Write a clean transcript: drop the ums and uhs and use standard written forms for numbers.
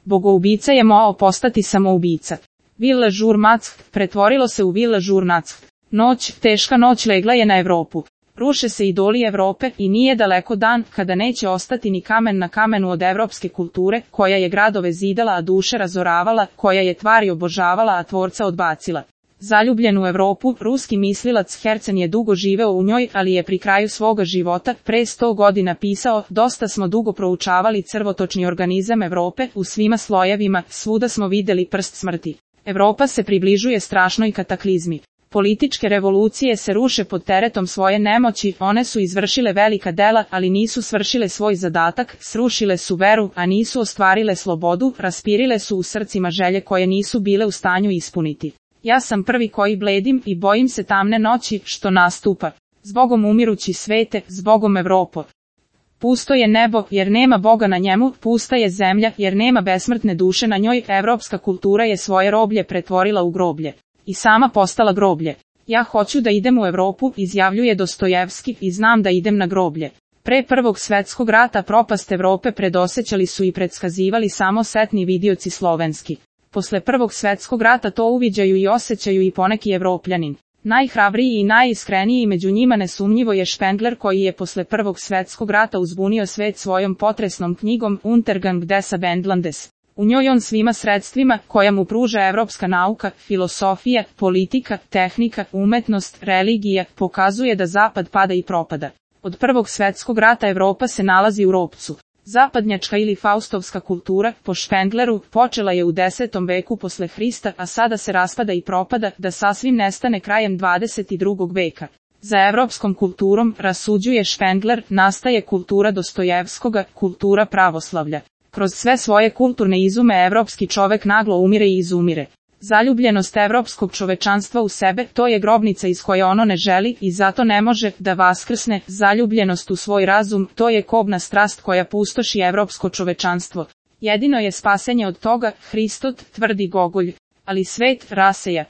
Bogoubica je mogao postati samoubica. Villa Jour Mack pretvorilo se u Villa Jour Nack. Noć, teška noć legla je na Evropu. Ruše se idoli Evrope i nije daleko dan kada neće ostati ni kamen na kamenu od evropske kulture, koja je gradove zidala a duše razoravala, koja je tvari obožavala a tvorca odbacila. Zaljubljen u Evropu, ruski mislilac Hercen je dugo živeo u njoj, ali je pri kraju svoga života, pre 100 godina pisao, dosta smo dugo proučavali crvotočni organizam Evrope, u svima slojevima, svuda smo videli prst smrti. Evropa se približuje strašnoj kataklizmi. Političke revolucije se ruše pod teretom svoje nemoći, one su izvršile velika dela, ali nisu svršile svoj zadatak, srušile su veru, a nisu ostvarile slobodu, raspirile su u srcima želje koje nisu bile u stanju ispuniti. Ja sam prvi koji bledim i bojim se tamne noći, što nastupa. Zbogom umirući svete, zbogom Evropo. Pusto je nebo, jer nema Boga na njemu, pusta je zemlja, jer nema besmrtne duše na njoj, evropska kultura je svoje roblje pretvorila u groblje. I sama postala groblje. Ja hoću da idem u Evropu, izjavljuje Dostojevski, i znam da idem na groblje. Pre Prvog svetskog rata propast Evrope predosećali su i predskazivali samo setni vidioci slovenski. Posle Prvog svetskog rata to uviđaju i osjećaju i poneki Evropljanin. Najhrabriji i najiskreniji među njima nesumnjivo je Špengler, koji je posle Prvog svetskog rata uzbunio svet svojom potresnom knjigom Untergang des Abendlandes. U njoj on svima sredstvima, koja mu pruža evropska nauka, filosofija, politika, tehnika, umetnost, religija, pokazuje da zapad pada i propada. Od Prvog svetskog rata Evropa se nalazi u ropcu. Zapadnjačka ili faustovska kultura, po Špengleru, počela je u 10. veku posle Hrista, a sada se raspada i propada, da sasvim nestane krajem 22. veka. Za evropskom kulturom, rasuđuje Špengler, nastaje kultura Dostojevskoga, kultura pravoslavlja. Kroz sve svoje kulturne izume evropski čovek naglo umire i izumire. Zaljubljenost evropskog čovečanstva u sebe, to je grobnica iz koje ono ne želi i zato ne može da vaskrsne. Zaljubljenost u svoj razum, to je kobna strast koja pustoši evropsko čovečanstvo. Jedino je spasenje od toga, Hristot, tvrdi Gogolj. Ali svet raseja.